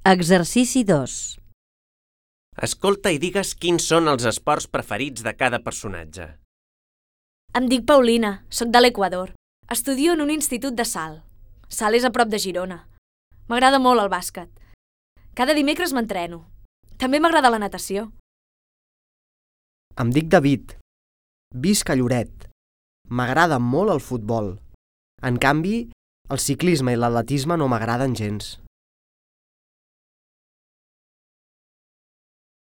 Exercici 2. Escolta i digues quins són els esports preferits de cada personatge. Em dic Paulina, soc de l'Equador. Estudio en un institut de Salt. Salt és a prop de Girona. M'agrada molt el bàsquet. Cada dimecres m'entreno. També m'agrada la natació. Em dic David. Visc a Lloret. M'agrada molt el futbol. En canvi, el ciclisme i l'atletisme no m'agraden gens.